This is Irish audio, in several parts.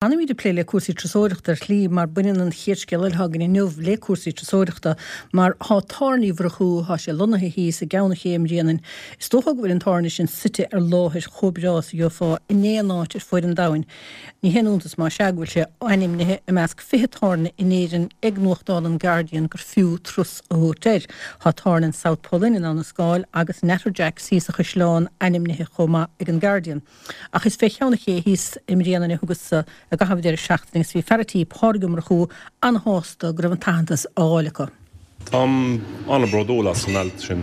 Fanfaimid ag plé le cúrsaí turasóireachta ar shlí mar baineann an chéad scéal eile atá againn inniu le cúrsaí turasóireachta mar thá Tábhairne Uí Mhurchú, thá sé lonnaithe thíos i gCeann an Ché i mBréanainn. Is dócha go bhfuil an tábhairne sin suite ar láthair chomh breá is a gheofá in aon áit ar fuaid an domhain. Ní haon iontas más ea go bhfuil sé ainmnithe i measc 20 tábhairne in Éirinn ag nuachtán an Guardian gur fiú turas a thabhairt air. Thá tábhairne an South Pole Inn in Abhainn an Scáil agus Natterjacks thíos sa Chaisleán ainmnithe chomh maith ag an Guardian. Ach is fé Cheann an Ché thíos i mBréanainn a thugas-sa i gcaitheamh an deireadh seachtaine agus bhí fear a' tí, Pádraig Ó Murchú, an-shásta go raibh an t-aitheantas á fháil acu. Táim an-bhródúil as an alt sin.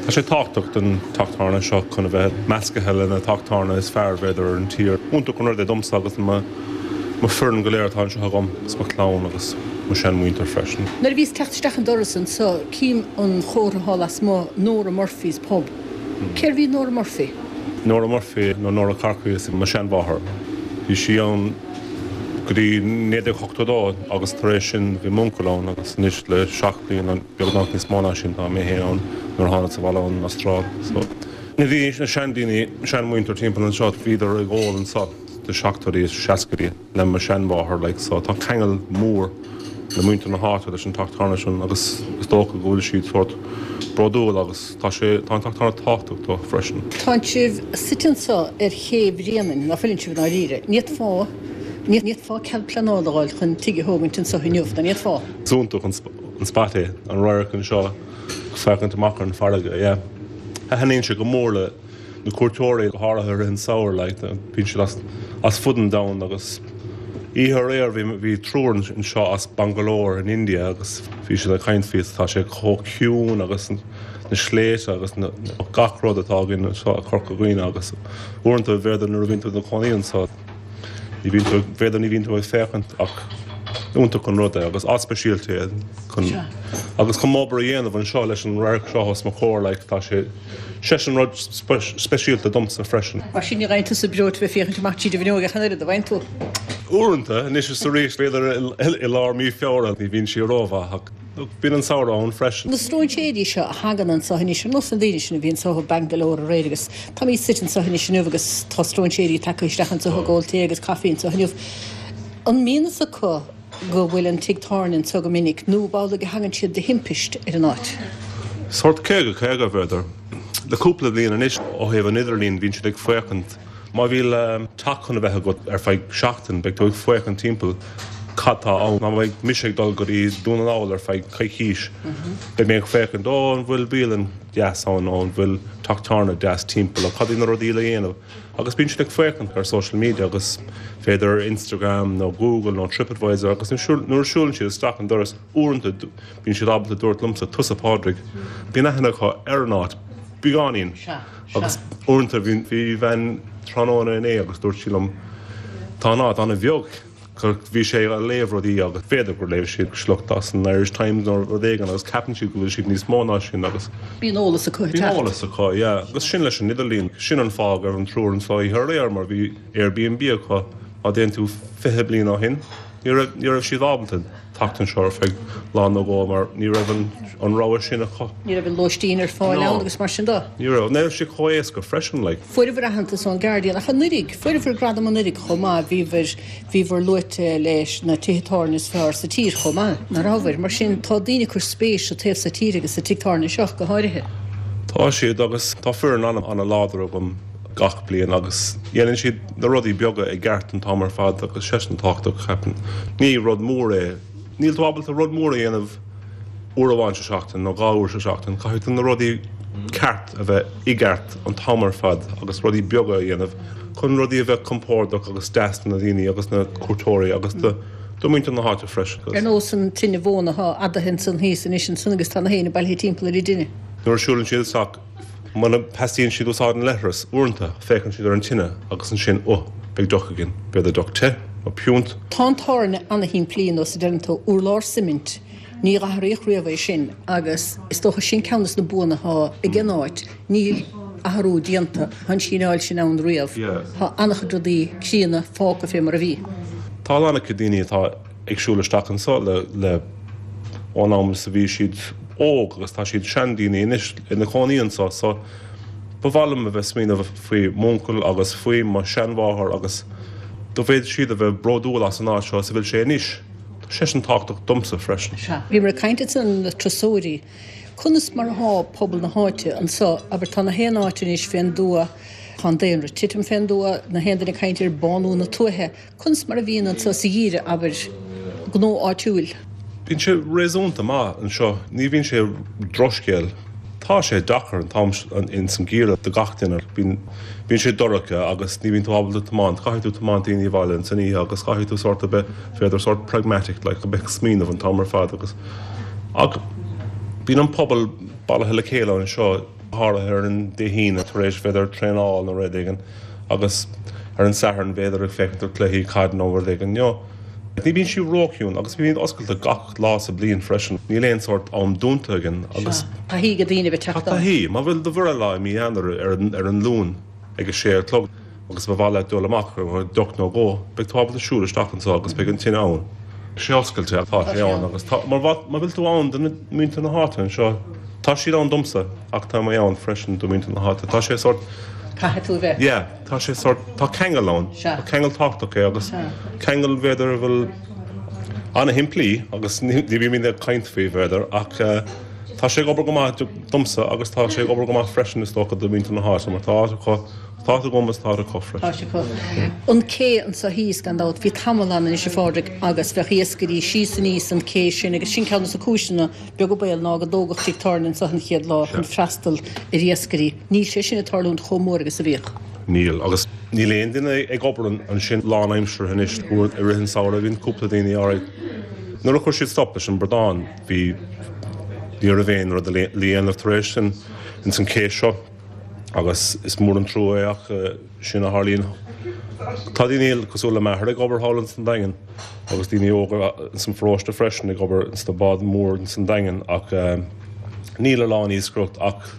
Tá sé tábhachtach don teach tábhairne seo chun a bheith meascaithe le na teach tábhairne is fearr b'fhéidir ar an tír. Iontach an rud é domsa agus mo foireann go léir atá anseo agam agus mo chlann agus mo seanmhuintir freisin. Nuair a bhíos ag teacht isteach an doras anso cím an chomhartha thall lasmuigh, Nora Murphy's Pub. Cérbh í Nora Murphy? Nora Murphy nó Nora Corkery is mo sheanmháthair. Bhí sí ann go dtí 1982 agus tar éis sin bhí m'uncail ann agus anois le 7 bliana, beagnach níos mó ná sin, tá mé féin ann nuair a thánas abhaile ón Astráil. So bhí na seandaoine, seanmhuintir timpeall anseo, bhíodar ag ól anseo sna seachtóidí is seascaidí. le mo sheanmháthair like so tá ceangal mór le muintir na háite leis an teach tábhairne sin agus is dócha go bhfuil siad sórt bródúil agus tá sé tá an teach tábhairne tábhachtach dó freisin. Tánn sibh suite anso ar ché Bhréanainn, ná fuileann sibh i ndáiríre? Ní fhéadfá, ní fhéadfá cead pleanála a fháil chun tigh a thógaint anso inniu, ná ní fhéadfá? Is iontach an spot é, an radharc anseo ag féachaint amach ar an bhfarraige, yeah. Thaitníonn sé go mór le. na cuairteoirí, go háirithe i rith an samhradh, like, bíonn siad as, as fud an domhain agus oíche aréir bhí, bhí triúr anseo as Bangalore in India agus bhí siad ag caint faoi tá sé chomh ciúin agus na sléibhte agus na, gach rud atá againn anseo i Corca Dhuibhne agus uaireanta b'fhéidir nuair a bhíonn tú i do chónaí anseo ní bhíonn tú, b'fhéidir ní bhíonn tú ag féachaint ach iontach an rud é agus áit speisialta é chun, agus chun m'obair a dhéanamh anseo leis an radharc seo os mo chomhair like tá sé Sé sin rud speisialta domsa freisin. Mar sin ní fhaigheann tusa breoite bheith féachaint amach tríd an bhfuinneog ach an oiread, an bhfaigheann tú? Uaireanta, anois is arís, b'fhéidir i lár mí Feabhra, ní bhíonn sí rómhaith ach bíonn an samhradh ann freisin. Na stróinséirí seo a thagann anso anois, ar nós na daoine sin a bhí anso ó Bangalore aréir agus táimid suite anso anois inniu agus tá stróinséirí tagtha isteach anso ag ól tae agus caife anso inniu. An mbíonn fhios acu go bhfuil an tigh tábhairne anso go minic, nó ab amhlaidh a thagann siad de thimpist ar an áit? Sórt 50, 50, b'fhéidir. Le cúpla bliain anois, ó thaobh an idirlín, bíonn siad ag féachaint, má bhíonn teach chun a bheith agat ar feadh seachtain, beidh tú ag féachaint timpeall cad tá ann. Má bheidh mise ag dul go dtí Dún na nGall ar feadh coicís, beidh mé ag féachaint, ó, an bhfuil bialann deas ann, nó an bhfuil teach tábhairne deas timpeall, nó cad iad na rudaí le dhéanamh. Agus bíonn siad ag féachaint ar social media agus b'fhéidir ar Instagram nó Google nó TripAdvisor agus nuair a siúlann siad isteach an doras uaireanta bíonn siad ábalta dúirt liomsa tusa Pádraig. Bíonn aithne acu ar an áit, beagáinín. Agus uaireanta bhí bhean tráthnóna inné agus dúirt sí liom tá an áit an-bheag. Bhí sé ag léamh rudaí agus b'fhéidir gur léigh siad sliocht as an Irish Times nó rud éigin agus ceapann siad go bhfuil siad níos mó ná sin agus. Bíonn eolas acu ag teacht. Bíonn eolas acu, yeah. Agus sin leis an idirlíon. Sin an fáth go raibh an triúr anseo oíche aréir mar bhí Airbnb acu. Má dtéann tú 20 bliain ó shin, ní raibh, ní raibh siad ábalta. teacht anseo ar feadh lá nó dhó mar ní raibh an rogha sin acu. Ní raibh an lóistín ar fáil ann agus mar sin de. Ní raibh. Ní raibh sé chomh éasca freisin like. Fuaireabhair aitheantas ón Guardian ach anuraidh, fuaireabhair gradam anuraidh chomh maith, bhíobhair, bhíobhair luaite leis na tithe tábhairne is fearr sa tír chomh maith, nach rabhabhair? Mar sin tá daoine ag cur spéis sa taobh so tíre agus sa tigh tábhairne seo go háirithe. Tá siad agus tá foireann an-láidir agam. gach bliain agus dhéanann siad na rudaí beaga i gceart an t-am ar fad agus sé sin tábhachtach, ceapaim. Ní rud mór é. Níl tú ábalta rud mór a dhéanamh uair amháin sa seachtain nó dhá uair sa seachtain. Caithfidh tú na rudaí ceart a bheith i gceart an t-am ar fad agus rudaí beaga a dhéanamh chun rudaí a bheith compordach agus deas do na daoine agus na cuairteoirí agus do do mhuintir na háite freisin. Ar nós an tine mhóna atá adaithe ansan thíos anois ansan agus tá na héinne bailithe timpeall ar an dtine. Nuair a siúlann siad isteach Muna theastaíonn siad úsáid an leithreas, uaireanta, féachann siad ar an tine agus ansin, oh, beidh deoch againn, b'fhéidir deoch te, nó piúnt. Tá an tábhairne ana-shimplí, nós a deireann tú, urlár suimint, ní athraíodh riamh é sin agus is dócha sin ceann des na buanna atá ag an áit, níl athrú déanta, tá an síneáil sin ann riamh, tá an-chuid rudaí críonna fágtha fé mar a bhí. Tá a lán acu daoine atá. ag siúl isteach anso le ón am is a bhí siad óg agus tá siad seandaoine anois ina cónaí anso so ba mhaith liom a bheith smaoineamh faoi m'uncail agus faoi mo sheanmháthair agus. Go bhféadfadh siad a bheith bródúil as an áit seo is a bhfuil sé anois. Tá sé sin tábhachtach domsa freisin. Sea. Bhíomar ag caint ansan na turasóirí. Conas mar athá pobal na háite anso? Abair, tá na haon áit anois fén dtuath, tá an daonra ag titim fén dtuath, na haon duine ag caint ar bánú na tuaithe. Conas mar a bhíonn anso sa gheimhreadh, abair, gnó áitiúil? Bíonn sé réasúnta maith anseo. Ní bhíonn sé drochscéal. Tá sé deacair an t-am ins an gheimhreadh do gach duine. Bíonn bíonn sé dorcha agus ní bhíonn tú ábalta tiomáint. Caithfidh tú tiomáint daoine abhaile ins an oíche agus caithfidh tú sórt a bheith, b'fhéidir sórt pragmatic like, a bheith ag smaoineamh an t-am ar fad agus ach bíonn an pobal bailithe le chéile anseo, go háirithe ar an Dé hAoine tar éis b'fhéidir traenáil nó rud éigin agus ar an Satharn b'fhéidir ag féachaint ar cluichí caide nó rud éigin. You know. Ní bhíonn sí róchiúin agus bímid oscailte gach lá sa bliain freisin. Níl aon sórt am dúnta againn agus. Tá taithí ag daoine a bheith teacht ann. Tá taithí. Má bhfuil do bhreithlá i mí Eanáir ar an Luan ag a sé a chlog agus ba mhaith leat dul amach ar deoch nó dhó, beidh tú ábalta siúl isteach anseo agus beidh an tine ann. Sé oscailte, tá sé ann agus tá, má bhfuil tú ann do mhuintir na háite anseo, tá siad ann domsa ach tá mé ann freisin do mhuintir na háite. Tá sé sórt. Caithfidh tú a bheith. Yeah. Tá sé sórt, tá ceangal ann. Sea. Tá ceangal tábhachtach é agus Sea. ceangal b'fhéidir a bhfuil ana-shimplí agus ní bhímid ag caint faoi b'fhéidir ach tá sé ag obair go maith domsa agus tá sé ag obair go maith freisin is dócha do mhuintir na háite mar tá áit acu, tá áit agam agus tá áit acu freisin. Tá áit acu. An cé anso thíos gan dabht, bhí tamall ann anois a Phádraig agus bheadh iascairí síos aníos an cé sin agus sin ceann dos na cúiseanna beag an baol ná go dtógadh tigh tábhairne anso an chéad lá chun freastal ar iascairí. Níl sé sin ag tarlúint chomh mór agus a bhíodh. Níl, agus níl aon duine ag obair ansin lánaimseartha anois. I rith an samhraidh bhíonn cúpla daoine alright. Nuair a chuir siad stop leis an bradán bhí, ní raibh aon rud le dhéanamh tar éis sin ins an cé seo agus is mór an trua é ach sin a tharlaíonn. Tá daoine cosúil le m'athair ag obair thall ins an Daingean agus daoine óga ins an pharóiste freisin ag obair ins na báid mór ins an Daingean ach níl a lán iascaireacht ach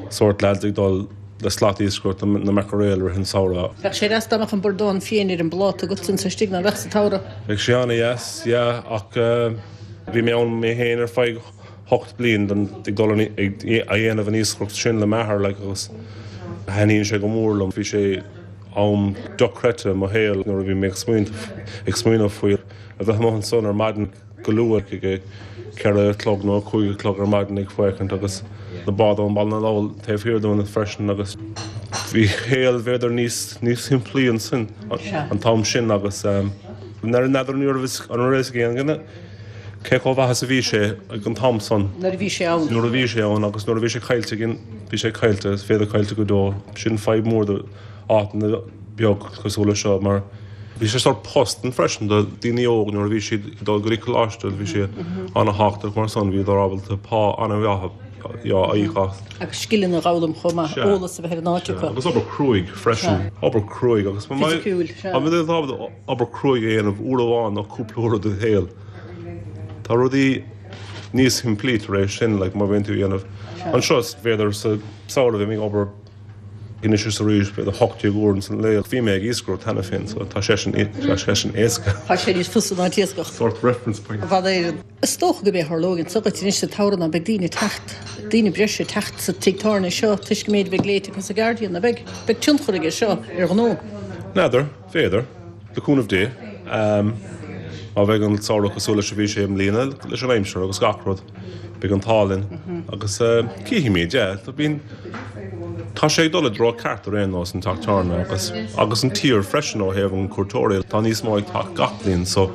sórt lads ag dul le slat iascaireachta na mackerel i rith an samhradh. Bheadh sé deas dá mbeadh an bradán féin ar an bpláta agat anso istigh, ná beadh sa tsamhradh? Bheadh sé ana-dheas, yeah, ach bhí mé ann mé féin ar feadh 8 bliain den ag dul ag a dhéanamh an iascaireacht sin le m'athair like agus thaitníonn sé go mór liom. Bhí sé am dochreidte i mo shaol nuair a bhí mé ag ag smaoineamh faoi a bheith amuigh ansan ar maidin go luath ag a 4 a chlog nó a 5 a chlog ar maidin ag féachaint agus na báid ón Baile na Lobhar taobh thiar dúinn freisin agus bhí shaol b'fhéidir níos níos simplí ansin an t-am sin agus n'fheadar an raibh an raibh fhios ag aon duine Cé chomh maith is a bhí sé ag an t-am san. Nuair a bhí sé ann. Nuair a bhí sé ann agus nuair a bhí sé caillte againn, bhí sé caillte, is b'fhéidir caillte go deo. Sin fadhb mór do áiteanna beag cosúil le seo mar bhí sé sórt post ann freisin do daoine óg nuair a bhí siad ag dul go dtí coláiste, bhí sé ana-thábhachtach mar san, bhíodar ábalta pá ana-mhaith a íoc as. Agus scileanna a dh'fhoghlaim chomh maith, eolas a bheith ar an áit acu. Agus obair cruaidh freisin, obair cruaidh agus. Fisiciúil, sea. obair cruaidh a dhéanamh uair amháin nó cúpla uair i do shaol. Tá rudaí níos simplí tar éis sin, like, má bhíonn tú a dhéanamh anseo, b'fhéidir sa samhradh bhí mé ag obair anois is arís, b'fhéidir 18 uair ins an lae. Bhí mé ag iascaireacht cheana féin, so tá sé sin, tá sé sin éasca. Tá sé níos fusa ná an t-iascach. Sort reference point. I bhfad Éireann. Is dócha gurb é a tharlóidh anso duit anois sa tsamhradh ná beidh daoine ag teacht, daoine breise ag teacht sa tigh tábhairne seo toisc an méid a bheidh léite acu sa Guardian, ná beidh? Beidh tionchar aige seo ar ghnó. N'fheadar. B'fhéidir, le cúnamh Dé, má bheidh an samhradh cosúil leis a bhí sé i mbliana, leis an aimsir agus gach rud, beidh an t-ádh linn agus cífimid, yeah. Bíonn, tá sé ag dul i dtreo ceart ar aon nós, an teach tábhairne agus, agus an tír freisin ó thaobh an cuairteoirí, tá níos mó ag teacht gach bliain so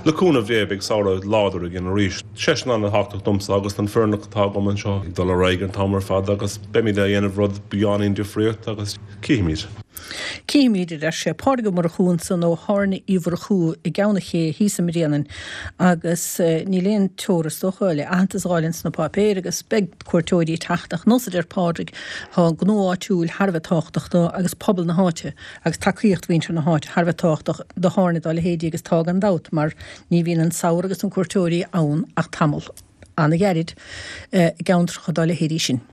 le cúnamh Dé beidh samhradh láidir againn arís. Sé sin an-thábhachtach domsa agus don foireann atá agam anseo ag dul ar aghaidh an t-am ar fad agus beimid a dhéanamh rud beagáinín difríocht agus cífimid. Cífimid, a deir sé. Pádraig Ó Murchú ansan ó Thábhairne Uí Mhurchú i gCeann an Ché thíos i mBréanainn agus níl aon teora is dócha le aitheantas a dh'fháil ins na páipéir agus beidh cuairteoirí ag teacht ach nós a deir Pádraig tá an gnó áitiúil thar a bheith tábhachtach dó agus pobal na háite agus tacaíocht mhuintir na háite thar a bheith tábhachtach do thábhairne dá leithéidí agus tá gan dabht mar ní bhíonn an samhradh agus na cuairteoirí ann ach tamall ana-ghairid i gceantracha dá leithéidí sin.